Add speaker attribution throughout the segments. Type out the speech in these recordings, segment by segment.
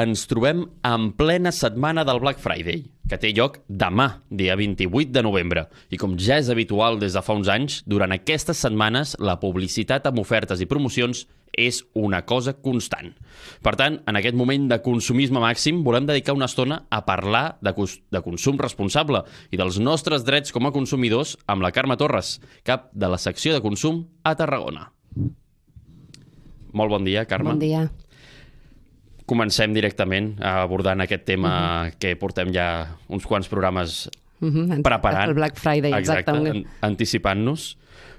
Speaker 1: ens trobem en plena setmana del Black Friday, que té lloc demà, dia 28 de novembre. I com ja és habitual des de fa uns anys, durant aquestes setmanes la publicitat amb ofertes i promocions és una cosa constant. Per tant, en aquest moment de consumisme màxim, volem dedicar una estona a parlar de consum responsable i dels nostres drets com a consumidors amb la Carme Torres, cap de la secció de consum a Tarragona. Molt bon dia, Carme.
Speaker 2: Bon dia.
Speaker 1: Comencem directament abordant aquest tema que portem ja uns quants programes preparant.
Speaker 2: El Black Friday, exactament.
Speaker 1: Exacte, anticipant-nos.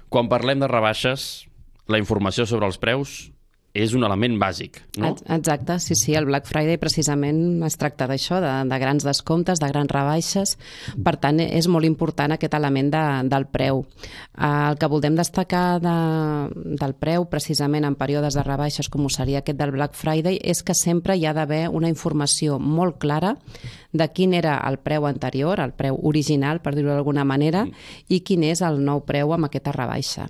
Speaker 1: Quan parlem de rebaixes, la informació sobre els preus és un element bàsic, no?
Speaker 2: Exacte, sí. El Black Friday precisament es tracta d'això, de grans descomptes, de grans rebaixes. Per tant, és molt important aquest element del preu. El que voldem destacar del preu, precisament en períodes de rebaixes, com ho seria aquest del Black Friday, és que sempre hi ha d'haver una informació molt clara de quin era el preu anterior, el preu original, per dir-ho d'alguna manera, i quin és el nou preu amb aquesta rebaixa.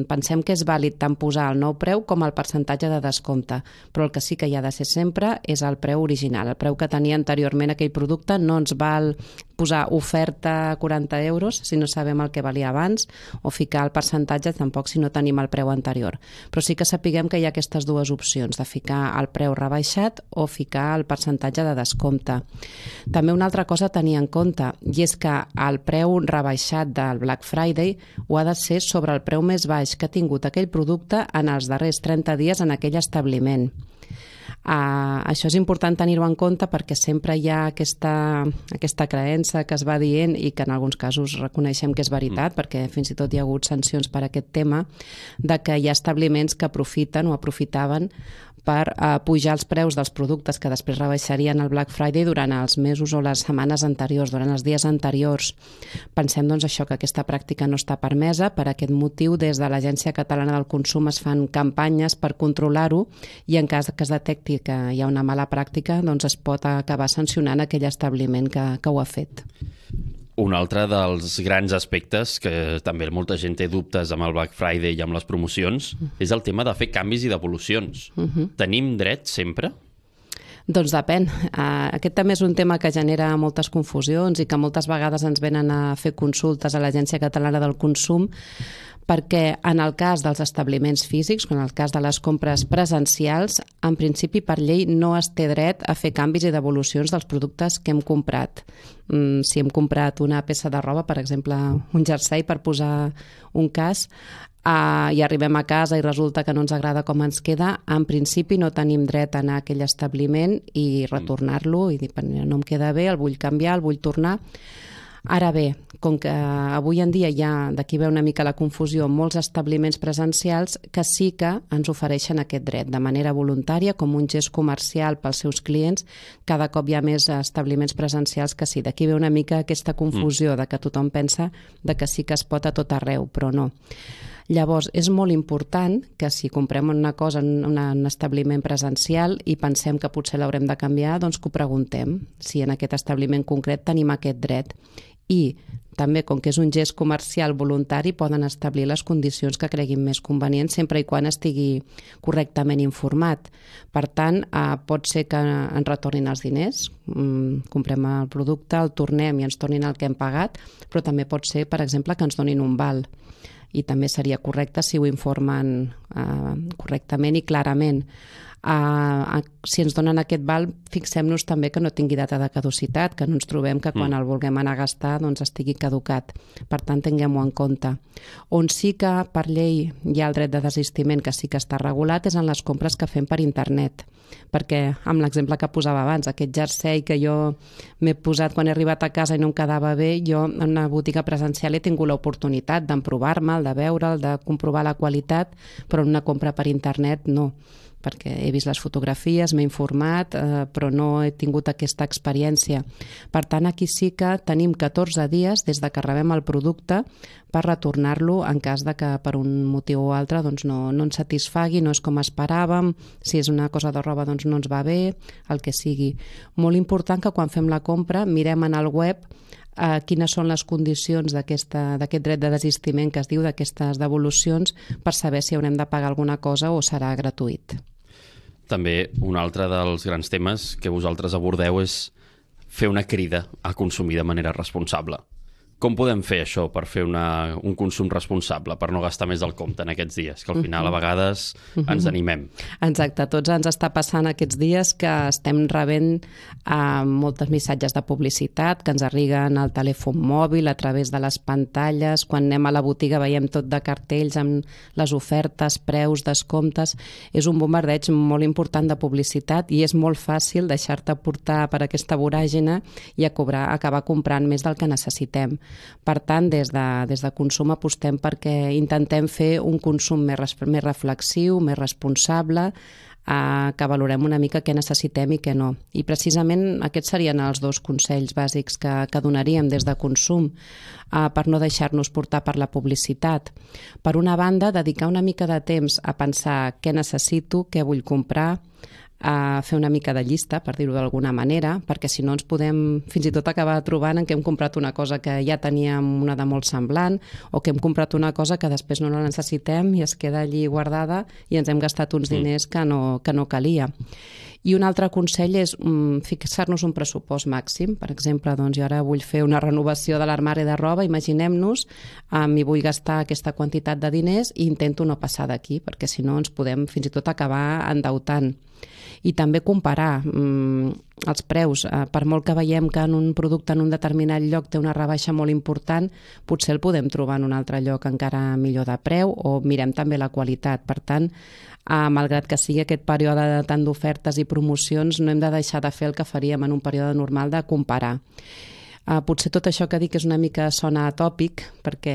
Speaker 2: Pensem que és vàlid tant posar el nou preu com el percentatge de descompte, però el que sí que hi ha de ser sempre és el preu original. El preu que tenia anteriorment aquell producte no ens val posar oferta a 40 euros si no sabem el que valia abans, o ficar el percentatge tampoc si no tenim el preu anterior. Però sí que sapiguem que hi ha aquestes dues opcions, de ficar el preu rebaixat o ficar el percentatge de descompte. També una altra cosa a tenir en compte, i és que el preu rebaixat del Black Friday ho ha de ser sobre el preu més baix que ha tingut aquell producte en els darrers 30 dies en aquell establiment. Això és important tenir-ho en compte perquè sempre hi ha aquesta creença que es va dient i que en alguns casos reconeixem que és veritat, perquè fins i tot hi ha hagut sancions per aquest tema, de que hi ha establiments que aprofiten o aprofitaven per pujar els preus dels productes que després rebaixarien el Black Friday durant els mesos o les setmanes anteriors, durant els dies anteriors. Pensem doncs això, que aquesta pràctica no està permesa. Per aquest motiu, des de l'Agència Catalana del Consum es fan campanyes per controlar-ho i en cas que es detecti que hi ha una mala pràctica, doncs es pot acabar sancionant aquell establiment que ho ha fet.
Speaker 1: Un altre dels grans aspectes que també molta gent té dubtes amb el Black Friday i amb les promocions és el tema de fer canvis i devolucions. Tenim dret sempre?
Speaker 2: Doncs depèn. Aquest també és un tema que genera moltes confusions i que moltes vegades ens venen a fer consultes a l'Agència Catalana del Consum, perquè en el cas dels establiments físics, en el cas de les compres presencials, en principi per llei no es té dret a fer canvis i devolucions dels productes que hem comprat. Si hem comprat una peça de roba, per exemple, un jersei, per posar un cas, i arribem a casa i resulta que no ens agrada com ens queda, en principi no tenim dret a anar a aquell establiment i retornar-lo i dir, no em queda bé, el vull canviar, el vull tornar. Ara bé, com que avui en dia hi ha, d'aquí ve una mica la confusió, molts establiments presencials que sí que ens ofereixen aquest dret de manera voluntària, com un gest comercial pels seus clients. Cada cop hi ha més establiments presencials que sí. D'aquí ve una mica aquesta confusió de que tothom pensa de que sí que es pot a tot arreu, però no. Llavors, és molt important que si comprem una cosa en un establiment presencial i pensem que potser l'haurem de canviar, doncs que ho preguntem, si en aquest establiment concret tenim aquest dret. I també, com que és un gest comercial voluntari, poden establir les condicions que creguin més convenients sempre i quan estigui correctament informat. Per tant, pot ser que ens retornin els diners, comprem el producte, el tornem i ens tornin el que hem pagat, però també pot ser, per exemple, que ens donin un val. I també seria correcte si ho informen correctament i clarament. Si ens donen aquest val, fixem-nos també que no tingui data de caducitat, que no ens trobem que quan el vulguem anar a gastar doncs estigui caducat. Per tant, tinguem-ho en compte. On sí que per llei hi ha el dret de desistiment, que sí que està regulat, és en les compres que fem per internet. Perquè, amb l'exemple que posava abans, aquest jersei que jo m'he posat quan he arribat a casa i no em quedava bé, jo en una botiga presencial he tingut l'oportunitat d'emprovar-me'l, de veure'l, de comprovar la qualitat, però en una compra per internet no, perquè he vist les fotografies, m'he informat, però no he tingut aquesta experiència. Per tant, aquí sí que tenim 14 dies des de que rebem el producte per retornar-lo en cas de que per un motiu o altre doncs no ens satisfagui, no és com esperàvem, si és una cosa de roba doncs no ens va bé, el que sigui. Molt important que quan fem la compra mirem en el web quines són les condicions d'aquest dret de desistiment que es diu, d'aquestes devolucions, per saber si haurem de pagar alguna cosa o serà gratuït.
Speaker 1: també un altre dels grans temes que vosaltres abordeu és fer una crida a consumir de manera responsable. Com podem fer això per fer un consum responsable, per no gastar més del compte en aquests dies? Que al final a vegades ens animem.
Speaker 2: Exacte, tots ens està passant aquests dies que estem rebent molts missatges de publicitat que ens arriben al telèfon mòbil a través de les pantalles. Quan anem a la botiga veiem tot de cartells amb les ofertes, preus, descomptes. És un bombardeig molt important de publicitat i és molt fàcil deixar-te portar per aquesta voràgina i acabar comprant més del que necessitem. Per tant, des de Consum apostem perquè intentem fer un consum més reflexiu, més responsable, que valorem una mica què necessitem i què no. I precisament aquests serien els dos consells bàsics que donaríem des de Consum per no deixar-nos portar per la publicitat. Per una banda, dedicar una mica de temps a pensar què necessito, què vull comprar, a fer una mica de llista, per dir-ho d'alguna manera, perquè si no ens podem fins i tot acabar trobant en què hem comprat una cosa que ja teníem una de molt semblant o que hem comprat una cosa que després no la necessitem i es queda allí guardada i ens hem gastat uns diners que no calia. I un altre consell és fixar-nos un pressupost màxim. Per exemple, doncs, jo ara vull fer una renovació de l'armari de roba, imaginem-nos, i vull gastar aquesta quantitat de diners i intento no passar d'aquí, perquè si no ens podem fins i tot acabar endeutant. I també comparar els preus. Per molt que veiem que en un producte en un determinat lloc té una rebaixa molt important, potser el podem trobar en un altre lloc encara millor de preu o mirem també la qualitat. Per tant, malgrat que sigui aquest període tant d'ofertes i promocions, no hem de deixar de fer el que faríem en un període normal de comparar. Potser tot això que dic és una mica sona atòpic, perquè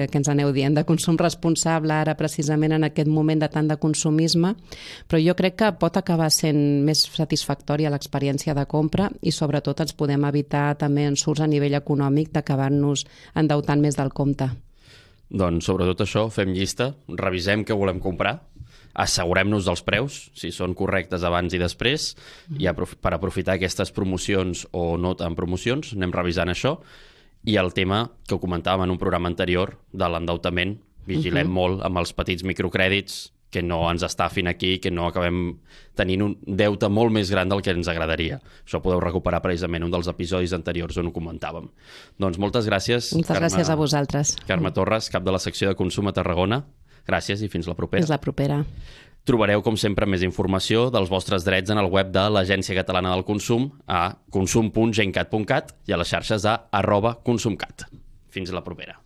Speaker 2: que ens aneu dient de consum responsable ara precisament en aquest moment de tant de consumisme, però jo crec que pot acabar sent més satisfactòria l'experiència de compra i sobretot ens podem evitar també ensurts a nivell econòmic d'acabar-nos endeutant més del compte.
Speaker 1: Doncs sobretot això, fem llista, revisem què volem comprar, assegurem-nos dels preus, si són correctes abans i després, i per aprofitar aquestes promocions o no tan promocions, anem revisant això. I el tema que ho comentàvem en un programa anterior de l'endeutament, vigilem molt amb els petits microcrèdits, que no ens estafin aquí, que no acabem tenint un deute molt més gran del que ens agradaria. Això podeu recuperar precisament un dels episodis anteriors on ho comentàvem. Doncs moltes gràcies.
Speaker 2: Gràcies a vosaltres.
Speaker 1: Carme Torres, cap de la secció de Consum a Tarragona. Gràcies i fins la propera.
Speaker 2: Fins la propera.
Speaker 1: Trobareu, com sempre, més informació dels vostres drets en el web de l'Agència Catalana del Consum a consum.gencat.cat i a les xarxes a @consumcat. Fins la propera.